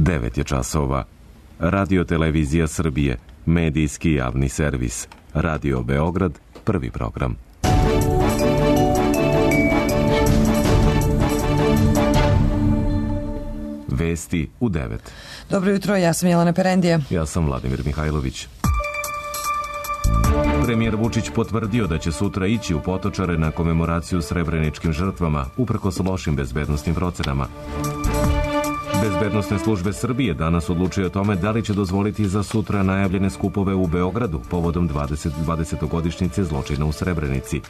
9 je časova. Radio Televizija Srbije, medijski javni servis. Radio Beograd, prvi program. Vesti u 9. Dobro jutro, ja sam Jelena Perendija. Ja sam Vladimir Mihajlović. Premijer Vučić potvrdio da će sutra ići u Potočare na komemoraciju srebreničkim žrtvama, uprkos lošim bezbednosnim procenama. Bezbednosne službe Srbije danas odlučuju o tome da li će dozvoliti za sutra najavljene skupove u Beogradu povodom 20-godišnjice zločina u Srebrenici.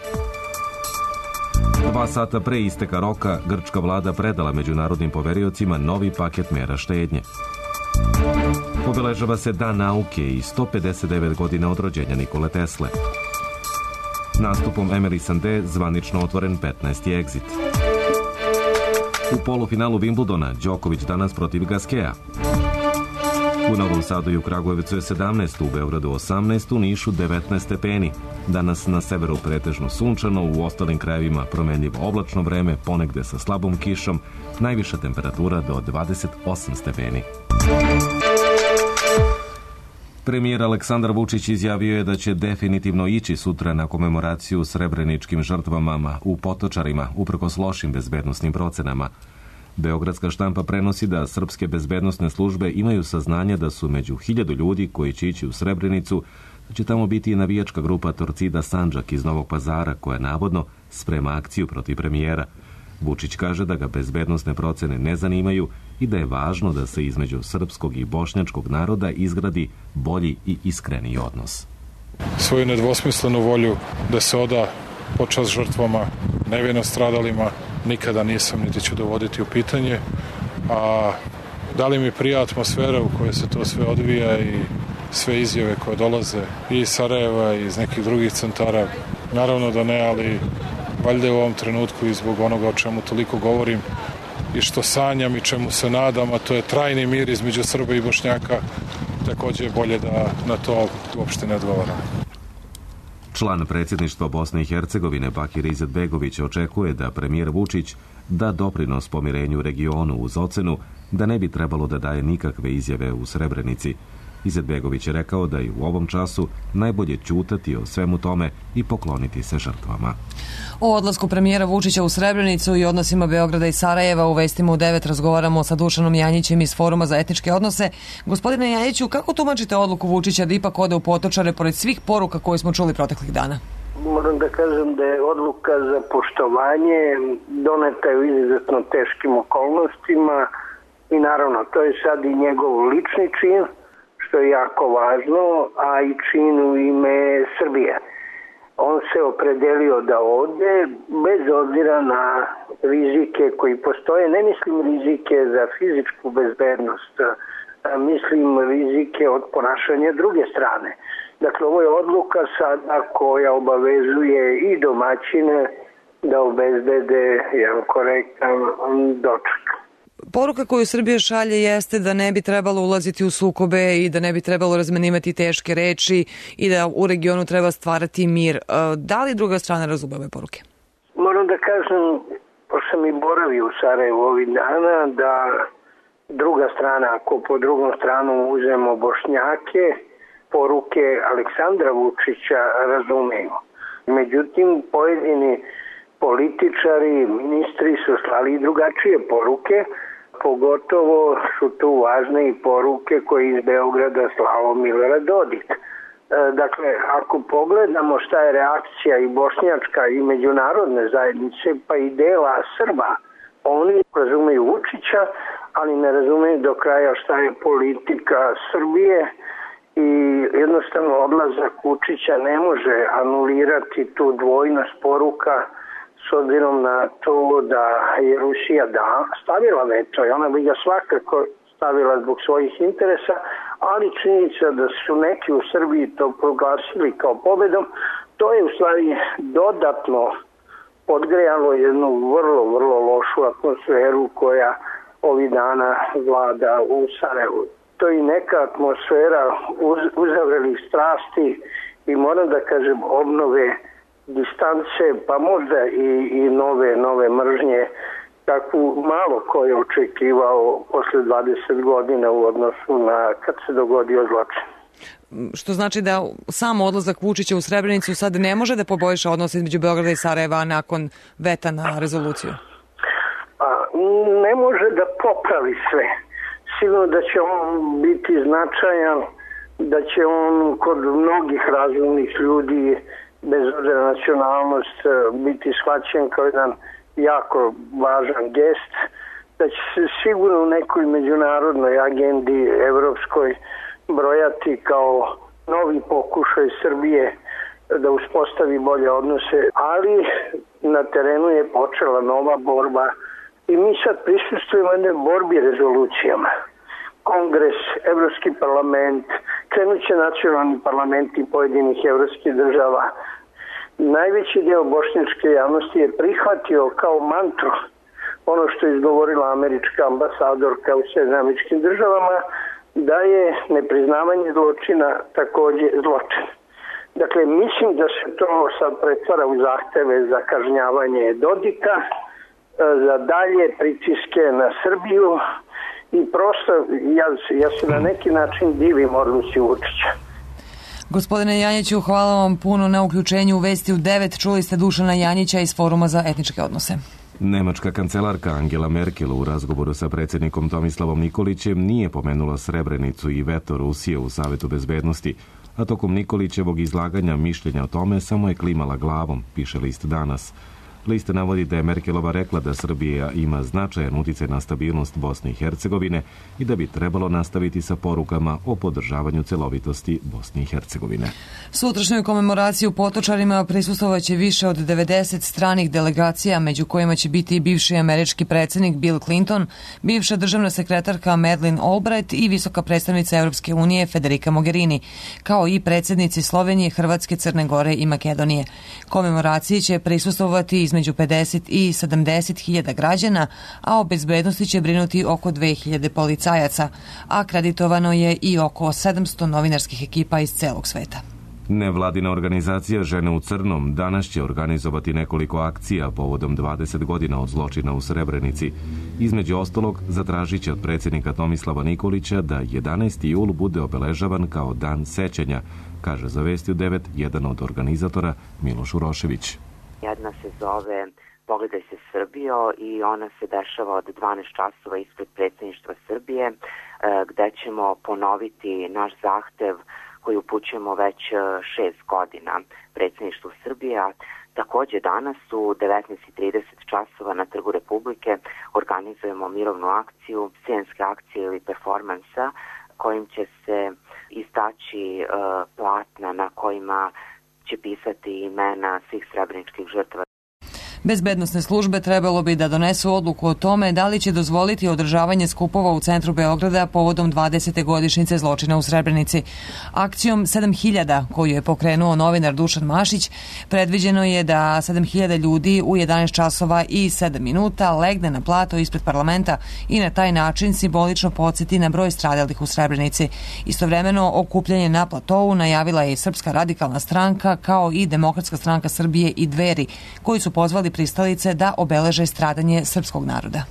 2 sata pre isteka roka, grčka vlada predala međunarodnim poveriocima novi paket mera štednje. Obeležava se Dan nauke i 159 godina od rođenja Nikole Tesle. Nastupom Emily Sandé zvanično otvoren 15. egzit. U polufinalu Wimbledona Đoković danas protiv Gaskea. U Novom Sadu i u Kragujevcu je 17, u Beogradu 18, u Nišu 19 stepeni. Danas na severu pretežno sunčano, u ostalim krajevima promenljivo oblačno vreme, ponegde sa slabom kišom, najviša temperatura do 28 stepeni. Premijer Aleksandar Vučić izjavio je da će definitivno ići sutra na komemoraciju srebreničkim žrtvama u Potočarima, uprkos lošim bezbednosnim procenama. Beogradska štampa prenosi da srpske bezbednosne službe imaju saznanje da su među 1000 ljudi koji će ići u Srebrenicu, da će tamo biti i navijačka grupa Torcida Sandžak iz Novog Pazara, koja navodno sprema akciju protiv premijera. Vučić kaže da ga bezbednosne procene ne zanimaju i da je važno da se između srpskog i bošnjačkog naroda izgradi bolji i iskreniji odnos. Svoju nedvosmislenu volju da se oda počast žrtvama, nevino stradalima, nikada nisam niti ću dovoditi u pitanje. A da li mi prija atmosfera u kojoj se to sve odvija i sve izjave koje dolaze i iz Sarajeva i iz nekih drugih centara? Naravno da ne, ali valjda je u ovom trenutku i zbog onoga o čemu toliko govorim i što sanjam i čemu se nadam, a to je trajni mir između Srba i Bošnjaka, takođe je bolje da na to uopšte ne odgovaram. Član predsjedništva Bosne i Hercegovine Bakir Izetbegović očekuje da premijer Vučić da doprinos pomirenju regionu uz ocenu da ne bi trebalo da daje nikakve izjave u Srebrenici. Izetbegović je rekao da je u ovom času najbolje ćutati o svemu tome i pokloniti se žrtvama. O odlasku premijera Vučića u Srebrenicu i odnosima Beograda i Sarajeva u vestima u 9 razgovaramo sa Dušanom Janjićem iz Foruma za etničke odnose. Gospodine Janjiću, kako tumačite odluku Vučića da ipak ode u Potočare pored svih poruka koje smo čuli proteklih dana? Moram da kažem da je odluka za poštovanje doneta je u izuzetno teškim okolnostima i naravno to je sad i njegov lični čin, što je jako važno, a i čin u ime Srbije. On se opredelio da ode bez obzira na rizike koji postoje. Ne mislim rizike za fizičku bezbednost, mislim rizike od ponašanja druge strane. Dakle, ovo je odluka sada koja obavezuje i domaćine da obezbede jedan korektan doček. Poruka koju Srbija šalje jeste da ne bi trebalo ulaziti u sukobe i da ne bi trebalo razmenivati teške reči i da u regionu treba stvarati mir. Da li druga strana razume ove poruke? Moram da kažem, pošto sam i boravio u Sarajevu ovih dana, da druga strana, ako po drugom stranu uzmemo Bošnjake, poruke Aleksandra Vučića razumeju. Međutim, pojedini političari, ministri su slali i drugačije poruke, pogotovo su tu važne i poruke koje iz Beograda slao Milorad Dodik. Dakle, ako pogledamo šta je reakcija i bošnjačka i međunarodne zajednice, pa i dela Srba, oni razumeju Vučića, ali ne razumeju do kraja šta je politika Srbije i jednostavno odlazak Vučića ne može anulirati tu dvojnost poruka s obzirom na to da je Rusija stavila veto i ona bi ga svakako stavila zbog svojih interesa, ali činjenica da su neki u Srbiji to proglasili kao pobedom, to je u stvari dodatno podgrejalo jednu vrlo lošu atmosferu koja ovih dana vlada u Sarajevu. To je neka atmosfera uzavrelih strasti i moram da kažem obnove distance, pa možda i nove mržnje kakvu malo ko je očekivao posle 20 godina u odnosu na kad se dogodio zločin. Što znači da sam odlazak Vučića u Srebrenicu sad ne može da poboljša odnose između Beograda i Sarajeva nakon veta na rezoluciju? Ne može da popravi sve. Sigurno da će on biti značajan, da će on kod mnogih razumnih ljudi, bez obzira na nacionalnost, biti shvaćen kao jedan jako važan gest, da će se sigurno u nekoj međunarodnoj agendi evropskoj brojati kao novi pokušaj Srbije da uspostavi bolje odnose, ali na terenu je počela nova borba i mi sad prisustujemo jednoj borbi rezolucijama. Kongres, Evropski parlament, krenuće nacionalni parlamenti pojedinih evropskih država. Najveći deo bošnjačke javnosti je prihvatio kao mantru ono što je izgovorila američka ambasadorka u Sjedinjenim Američkim Državama, da je nepriznavanje zločina takođe zločin. Dakle, mislim da se to sad pretvara u zahteve za kažnjavanje Dodika, za dalje pritiske na Srbiju i prosto ja se na neki način divim odluci Vučića. Gospodine Janjiću, hvala vam puno na uključenju u Vesti u 9. Čuli ste Dušana Janjića iz Foruma za etničke odnose. Nemačka kancelarka Angela Merkel u razgovoru sa predsjednikom Tomislavom Nikolićem nije pomenula Srebrenicu i veto Rusije u Savetu bezbednosti, a tokom Nikolićevog izlaganja mišljenja o tome samo je klimala glavom, piše list Danas. List navodi da je Merkelova rekla da Srbija ima značajan uticaj na stabilnost Bosne i Hercegovine i da bi trebalo nastaviti sa porukama o podržavanju celovitosti Bosne i Hercegovine. Sutrašnjoj komemoraciji u Potočarima prisustvovaće više od 90 stranih delegacija, među kojima će biti i bivši američki predsjednik Bill Clinton, bivša državna sekretarka Madeleine Albright i visoka predstavnica Europske unije Federica Mogherini, kao i predsjednici Slovenije, Hrvatske, Crne Gore i Makedonije. Komemoraciji će prisustvovati između 50 i 70 hiljada građana, a o bezbednosti će brinuti oko 2000 policajaca. Akreditovano je i oko 700 novinarskih ekipa iz celog sveta. Nevladina organizacija Žene u crnom danas će organizovati nekoliko akcija povodom 20 godina od zločina u Srebrenici. Između ostalog, zatražit će od predsjednika Tomislava Nikolića da 11. jul bude obeležavan kao dan sećanja, kaže za Vesti u 9 jedan od organizatora Miloš Urošević. Jedna se zove Pogledaj se Srbijo i ona se dešava od 12 časova ispred predsjedništva Srbije, gde ćemo ponoviti naš zahtev koji upućujemo već 6 godina predsjedništvu Srbije. Takođe danas u 19:30 časova na Trgu Republike organizujemo mirovnu akciju, scenske akcije ili performansa kojim će se istaći platna na kojima će pisati imena svih srebreničkih žrtava. Bezbednosne službe trebalo bi da donesu odluku o tome da li će dozvoliti održavanje skupova u centru Beograda povodom 20. godišnjice zločina u Srebrenici. Akcijom 7000, koju je pokrenuo novinar Dušan Mašić, predviđeno je da 7000 ljudi u 11 časova i 7 minuta legne na plato ispred parlamenta i na taj način simbolično podsjeti na broj stradalih u Srebrenici. Istovremeno, okupljanje na platovu najavila je i Srpska radikalna stranka, kao i Demokratska stranka Srbije i Dveri, koji su pozvali pristalice da obeleže stradanje srpskog naroda.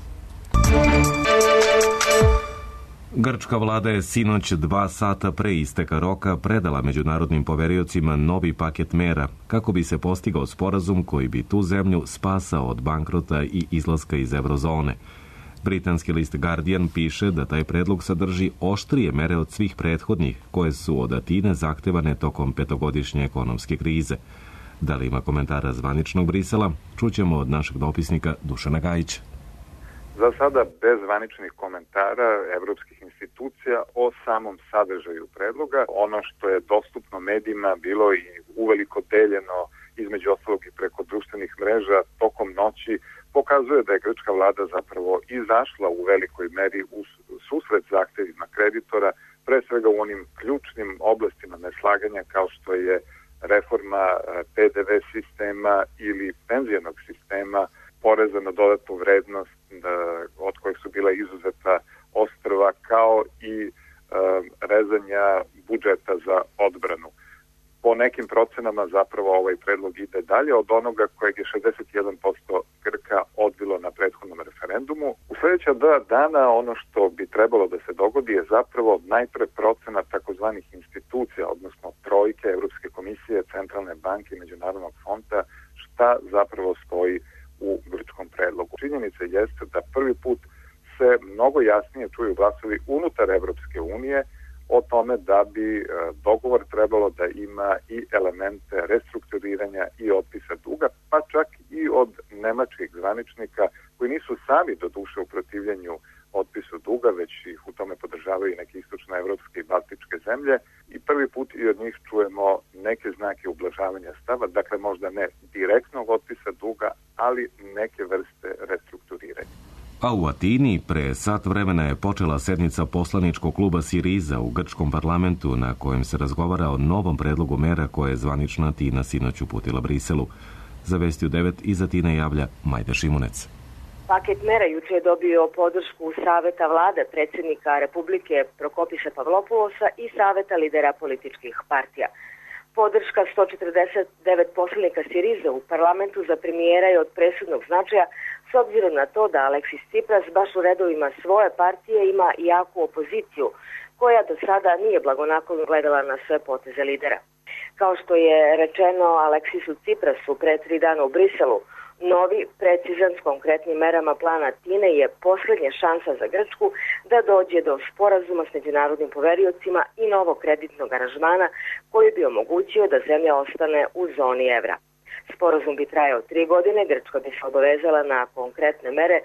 Grčka vlada je sinoć 2 sata pre isteka roka predala međunarodnim poveriocima novi paket mera kako bi se postigao sporazum koji bi tu zemlju spasao od bankrota i izlaska iz eurozone. Britanski list Guardian piše da taj predlog sadrži oštrije mere od svih prethodnih koje su od Atine zahtevane tokom 5-godišnje ekonomske krize. Da li ima komentara zvaničnog Brisela, čućemo od našeg dopisnika Dušana Gajića. Za sada bez zvaničnih komentara evropskih institucija o samom sadržaju predloga. Ono što je dostupno medijima bilo i uveliko deljeno između ostalog i preko društvenih mreža tokom noći pokazuje da je grčka vlada zapravo izašla u velikoj meri u susret zahtevima kreditora, pre svega u onim ključnim oblastima neslaganja kao što je reforma PDV sistema ili penzijonog sistema, poreza na dodatnu vrednost od kojih su bila izuzeta ostrva, kao i rezanja budžeta za odbranu. Po nekim procenama zapravo ovaj predlog ide dalje od onoga kojeg je 61% Grka odbilo na prethodnom referendumu. sporazumu. U sljedeća 2 dana ono što bi trebalo da se dogodi je zapravo najpre procena takozvanih institucija, odnosno trojke, Evropske komisije, Centralne banke i Međunarodnog fonda, šta zapravo stoji u grčkom predlogu. Činjenica jeste da prvi put se mnogo jasnije čuju glasovi unutar Evropske unije o tome da bi dogovor trebalo da ima i elemente restrukturiranja i otpisa duga, pa čak i od nemačkih zvaničnika koji nisu sami do duše u protivljenju otpisu duga, već ih u tome podržavaju i neke istočnoevropske i baltičke zemlje i prvi put i od njih čujemo neke znake ublažavanja stava, dakle možda ne direktnog otpisa duga, ali neke vrste restrukturiranja. A u Atini pre sat vremena je počela sednica poslaničkog kluba Siriza u grčkom parlamentu na kojem se razgovara o novom predlogu mera koje je zvanična Atina sinoć uputila Briselu. Za Vesti u 9 iz Atine javlja Majda Šimunec. Paket mera juče je dobio podršku Saveta vlade predsjednika Republike Prokopisa Pavlopulosa i Saveta lidera političkih partija. Podrška 149 poslanika Siriza u parlamentu za premijera je od presudnog značaja s obzirom na to da Aleksis Tsipras baš u redovima svoje partije ima jaku opoziciju koja do sada nije blagonaklono gledala na sve poteze lidera. Kao što je rečeno Aleksisu Tsiprasu pre 3 dana u Briselu, novi, precizan s konkretnim merama plana Atine je posljednja šansa za Grčku da dođe do sporazuma s međunarodnim poveriocima i novog kreditnog aranžmana koji bi omogućio da zemlja ostane u zoni evra. Sporazum bi trajao 3 godine, Grčka bi se obavezala na konkretne mere,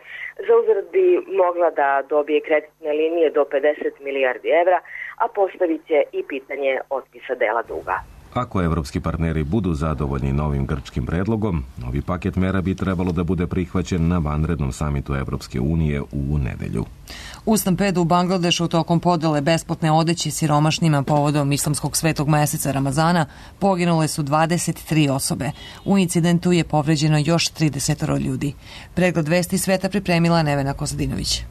za uzvrat bi mogla da dobije kreditne linije do 50 milijardi evra, a postavit će i pitanje otpisa dela duga. Ako evropski partneri budu zadovoljni novim grčkim predlogom, novi paket mera bi trebalo da bude prihvaćen na vanrednom samitu Evropske unije u nedelju. U stampedu u Bangladešu tokom podele besplatne odeće siromašnima povodom islamskog svetog meseca Ramazana poginule su 23 osobe. U incidentu je povređeno još 30 ljudi. Pregled vesti sveta pripremila Nevena Kostadinović.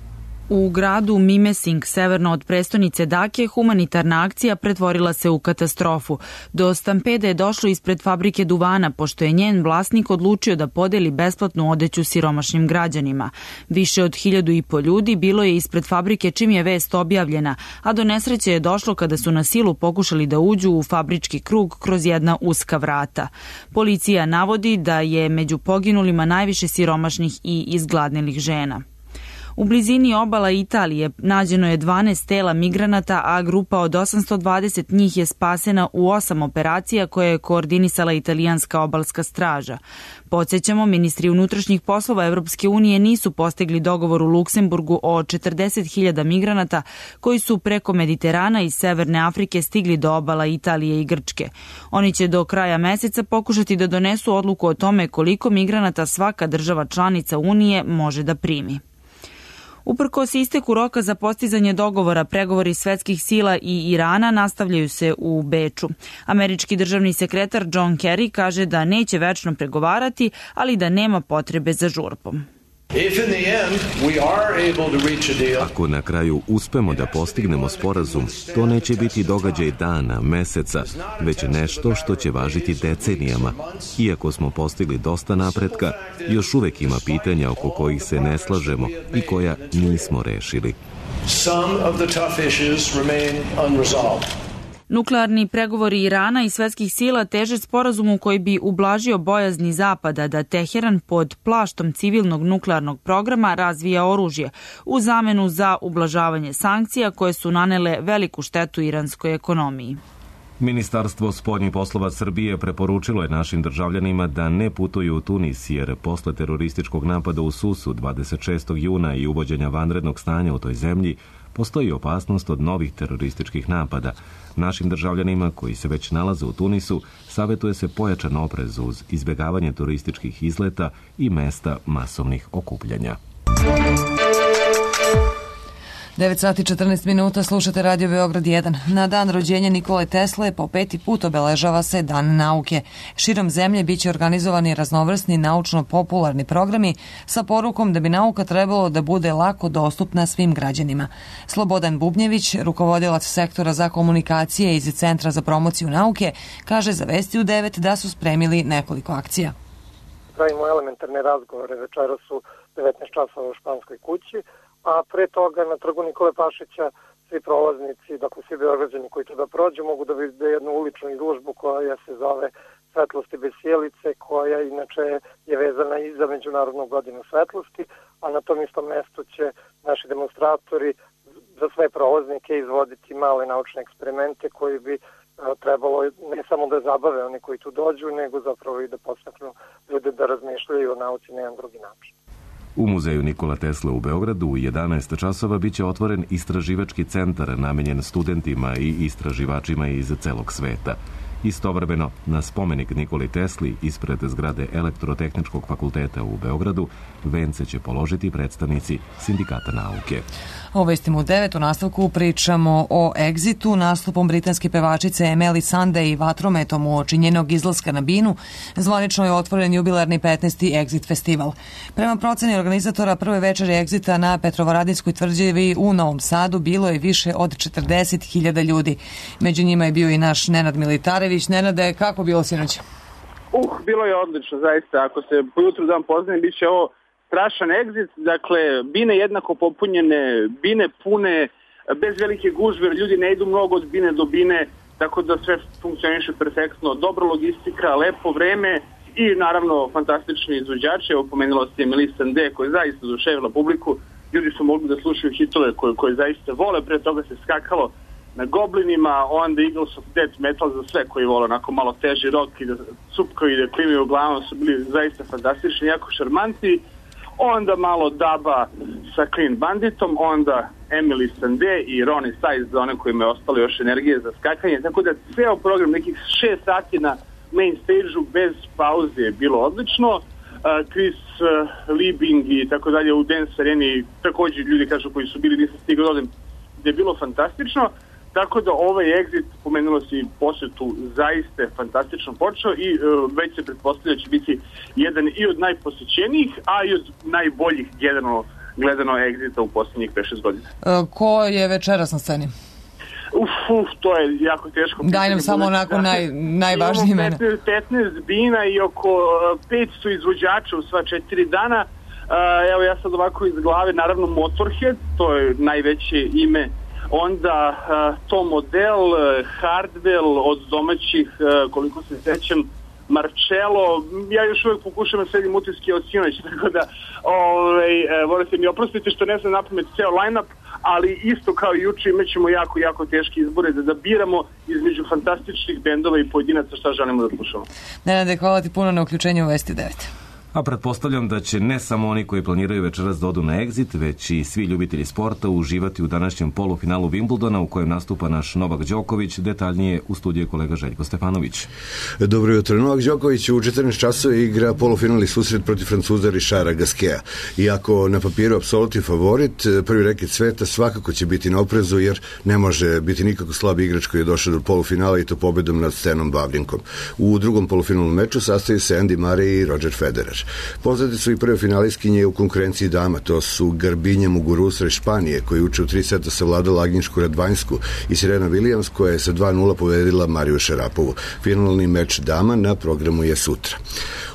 U gradu Mimesing, severno od prestonice Dake, humanitarna akcija pretvorila se u katastrofu. Do stampede je došlo ispred fabrike duvana, pošto je njen vlasnik odlučio da podeli besplatnu odeću siromašnim građanima. Više od 1.500 ljudi bilo je ispred fabrike čim je vest objavljena, a do nesreće je došlo kada su na silu pokušali da uđu u fabrički krug kroz jedna uska vrata. Policija navodi da je među poginulima najviše siromašnih i izgladnelih žena. U blizini obala Italije nađeno je 12 tela migranata, a grupa od 820 njih je spasena u 8 operacija koje je koordinisala italijanska obalska straža. Podsjećamo, ministri unutrašnjih poslova Evropske unije nisu postigli dogovor u Luksemburgu o 40.000 migranata koji su preko Mediterana i Severne Afrike stigli do obala Italije i Grčke. Oni će do kraja meseca pokušati da donesu odluku o tome koliko migranata svaka država članica Unije može da primi. Uprkos isteku roka za postizanje dogovora, pregovori svetskih sila i Irana nastavljaju se u Beču. Američki državni sekretar John Kerry kaže da neće večno pregovarati, ali da nema potrebe za žurbom. Ako na kraju uspemo da postignemo sporazum, to neće biti događaj dana, meseca, već nešto što će važiti decenijama. Iako smo postigli dosta napretka, još uvek ima pitanja oko kojih se ne slažemo i koja nismo rešili. Nuklearni pregovori Irana i svetskih sila teže sporazumu koji bi ublažio bojazni Zapada da Teheran pod plaštom civilnog nuklearnog programa razvija oružje u zamenu za ublažavanje sankcija koje su nanele veliku štetu iranskoj ekonomiji. Ministarstvo spoljnih poslova Srbije preporučilo je našim državljanima da ne putuju u Tunis, jer posle terorističkog napada u Susu 26. juna i uvođenja vanrednog stanja u toj zemlji postoji opasnost od novih terorističkih napada. Našim državljanima koji se već nalaze u Tunisu savjetuje se pojačan oprez uz izbjegavanje turističkih izleta i mesta masovnih okupljanja. 9:14 slušate Radio Beograd 1. Na dan rođenja Nikole Tesle po 5. put obeležava se Dan nauke. Širom zemlje biće organizovani raznovrsni naučno-popularni programi sa porukom da bi nauka trebalo da bude lako dostupna svim građanima. Slobodan Bubnjević, rukovodilac sektora za komunikacije iz Centra za promociju nauke, kaže za Vesti u 9 da su spremili nekoliko akcija. Pravimo elementarne razgovore večeras su 19 časova u Španskoj kući, a pre toga na trgu Nikole Pašića svi prolaznici, dakle svi Beograđani koji tuda prođu, mogu da vide jednu uličnu izložbu koja se zove Svetlosti bez sjelice, koja inače je vezana i za Međunarodnu godinu svetlosti, a na tom istom mestu će naši demonstratori za sve prolaznike izvoditi male naučne eksperimente koji bi trebalo ne samo da zabave oni koji tu dođu, nego zapravo i da podstaknu ljude da razmišljaju o nauci na jedan drugi način. U muzeju Nikola Tesla u Beogradu u 11 časova biće otvoren istraživački centar namenjen studentima i istraživačima iz celog sveta. Istovremeno, na spomenik Nikoli Tesli ispred zgrade Elektrotehničkog fakulteta u Beogradu vence će položiti predstavnici Sindikata nauke. O vestima u 9 u nastavku pričamo o Exitu, nastupom britanske pevačice Emily Sande i vatrometom uoči njenog izlaska na binu. Zvanično je otvoren jubilarni 15. Exit festival. Prema proceni organizatora prve večeri Exita na Petrovaradinskoj tvrđavi u Novom Sadu bilo je više od 40.000 ljudi. Među njima je bio i naš Nenad Militarević. Nenade, kako bilo sinoć? Bilo je odlično, zaista. Ako se pojutru dan poznajem, bit će ovo strašan egzit, dakle, bine jednako popunjene, bine pune, bez velike gužve, ljudi ne idu mnogo od bine do bine, tako da sve funkcioniše perfektno, dobra logistika, lepo vreme i naravno fantastični izvođači. Evo, pomenula se Emily Sande koja je zaista oduševila publiku, ljudi su mogli da slušaju hitove koje zaista vole, pre toga se skakalo na Goblinima, onda Eagles of Death Metal za sve koji vole onako malo teži rock i da supkaju i da klimaju glavom, su bili zaista fantastični, jako šarmanti. Onda malo Daba sa Clean Banditom, onda Emily Sande i Ronnie Size za one kojima je ostalo još energije za skakanje, tako da ceo program nekih 6 sati na main stage-u bez pauze je bilo odlično. Chris Liebing i tako dalje u Dance Areni, također ljudi kažu koji su bili, nisam stigao da odem, gde je bilo fantastično. Tako da ovaj Exit, pomenulo si posetu, zaista je fantastično počeo i već se pretpostavlja će biti jedan i od najposećenijih, a i od najboljih gledano Exita u posljednjih 5-6 godina. Ko je večeras na sceni? To je jako teško. Daj nam samo onako najvažnije imena. 15 bina i oko 500 izvođača u sva 4 dana. Evo ja sad ovako iz glave, naravno Motorhead, to je najveće ime. Onda Tom Odell, Hardwell od domaćih, koliko se sećam, Marcello, ja još uvijek pokušam da sedim utiske od sinoć, tako da morate mi oprostiti što ne znam napamet ceo line-up, ali isto kao i juče imat ćemo jako teške izbore da biramo između fantastičnih bendova i pojedinaca šta želimo da slušamo. Nenade, hvala ti puno na uključenju u Vesti 9. A pretpostavljam da će ne samo oni koji planiraju večeras da odu na Exit, već i svi ljubitelji sporta uživati u današnjem polufinalu Wimbledona u kojem nastupa naš Novak Đoković. Detaljnije u studiju kolega Željko Stefanović. Dobro jutro. Novak Đoković u 14 časova igra polufinalni susret protiv Francuza Richarda Gasqueta. Iako na papiru apsolutni favorit, prvi reket sveta svakako će biti na oprezu jer ne može biti nikako slab igrač koji je došao do polufinala i to pobedom nad Stenom Wawrinkom. U drugom polufinalnom meču sastoji se Andy Murray i Roger Federer. Poznate su i prve finalistkinje u konkurenciji dama, to su Garbinja Muguruza iz Španije, koja uče u 3 seta savladala Agnišku Radvanjsku, i Serena Williams, koja je sa 2:0 pobedila Mariju Šarapovu. Finalni meč dama na programu je sutra.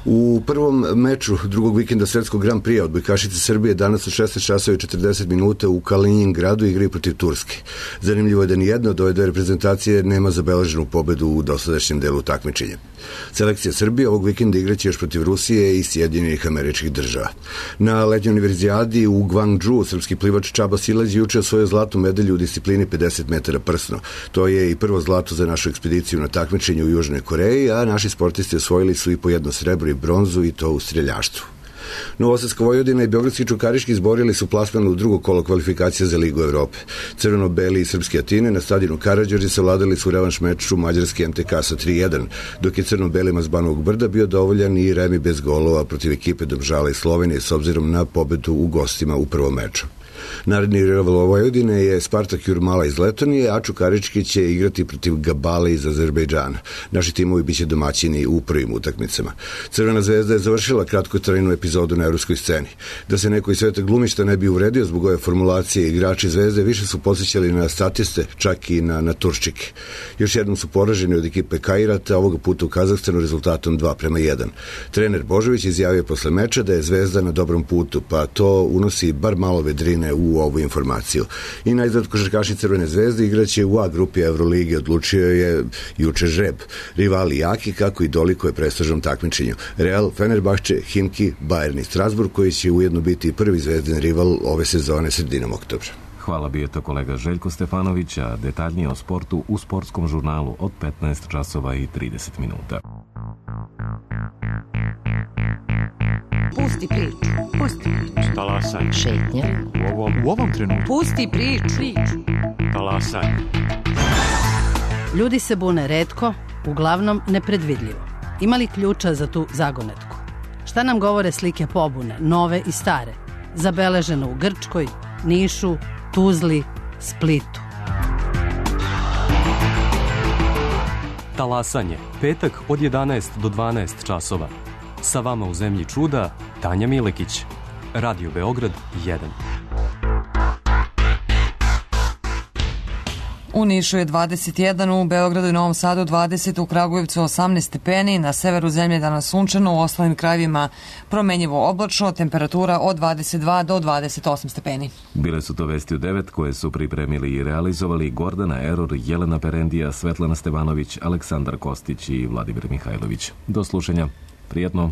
U prvom meču drugog vikenda svetskog Grand Prix odbojkašice Srbije danas u 16 časova i 40 minuta u Kaliningradu igraju protiv Turske. Zanimljivo je da nijedna od ove dve reprezentacije nema zabeleženu pobedu u dosadašnjem delu takmičenja. Selekcija Srbije ovog vikenda igraće još protiv Rusije i Sjedinjenih Američkih Država. Na letnjoj univerzijadi u Gwangju srpski plivač Čaba Silaz juče osvojio zlatnu medalju u disciplini 50 metara prsno. To je i prvo zlato za našu ekspediciju na takmičenju u Južnoj Koreji, a naši sportisti osvojili su i po jedno srebro i bronzu, i to u streljaštvu. Novosadska Vojvodina i Beogradski Čukarički izborili su plasman u drugo kolo kvalifikacija za Ligu Evrope. Crveno-beli i srpski Atine na stadionu Karađorđe savladali su revanš meču mađarski MTK sa 3:1, dok je crno-belima s Banovog Brda bio dovoljan i remi bez golova protiv ekipe Domžala i Slovenije s obzirom na pobedu u gostima u prvom meču. Naredni rival Vojvodine je Spartak Jurmala iz Letonije, a Čukarički će igrati protiv Gabale iz Azerbejdžana. Naši timovi biće domaćini u prvim utakmicama. Crvena zvezda je završila kratkotrajnu epizodu na evropskoj sceni. Da se neko iz sveta glumišta ne bi uvredio zbog ove formulacije, igrači zvezde više su podsjećali na statiste, čak i na Turčike. Još jednom su poraženi od ekipe Kairata, ovoga puta u Kazahstanu rezultatom 2:1. Trener Božović izjavio posle meča da je Zvezda na dobrom putu, pa to unosi bar malo vedrine u ovu informaciju. I najzad košarkaši Crvene zvezde igraće u A grupi Evrolige, odlučio je juče žreb. Rivali jaki, kako i dolikuje prestižnom takmičenju. Real, Fenerbahče, Himki, Bayern i Strasburg, koji će ujedno biti prvi zvezdin rival ove sezone sredinom oktobra. Hvala, bio je to kolega Željko Stefanović, a detaljnije o sportu u sportskom žurnalu od 15 časova i 30 minuta. Pusti priču. Pusti priču. Talasaj. Šetnja. U ovom trenutku. Pusti priču. Talasaj. Ljudi se bune retko, uglavnom nepredvidljivo. Ima li ključa za tu zagonetku? Šta nam govore slike pobune, nove i stare, zabeleženo u Grčkoj, Nišu, Tuzli, Splitu? Talasanje. Petak od 11 do 12 časova. Sa vama u zemlji čuda, Tanja Milekić. Radio Beograd 1. U Nišu je 21, u Beogradu i Novom Sadu 20, u Kragujevcu 18 stepeni, na severu zemlje danas sunčano, u ostalim krajevima promenjivo oblačno, temperatura od 22 do 28 stepeni. Bile su to vesti u 9 koje su pripremili i realizovali Gordana Eror, Jelena Perendija, Svetlana Stevanović, Aleksandar Kostić i Vladimir Mihajlović. Do slušanja. Prijetno.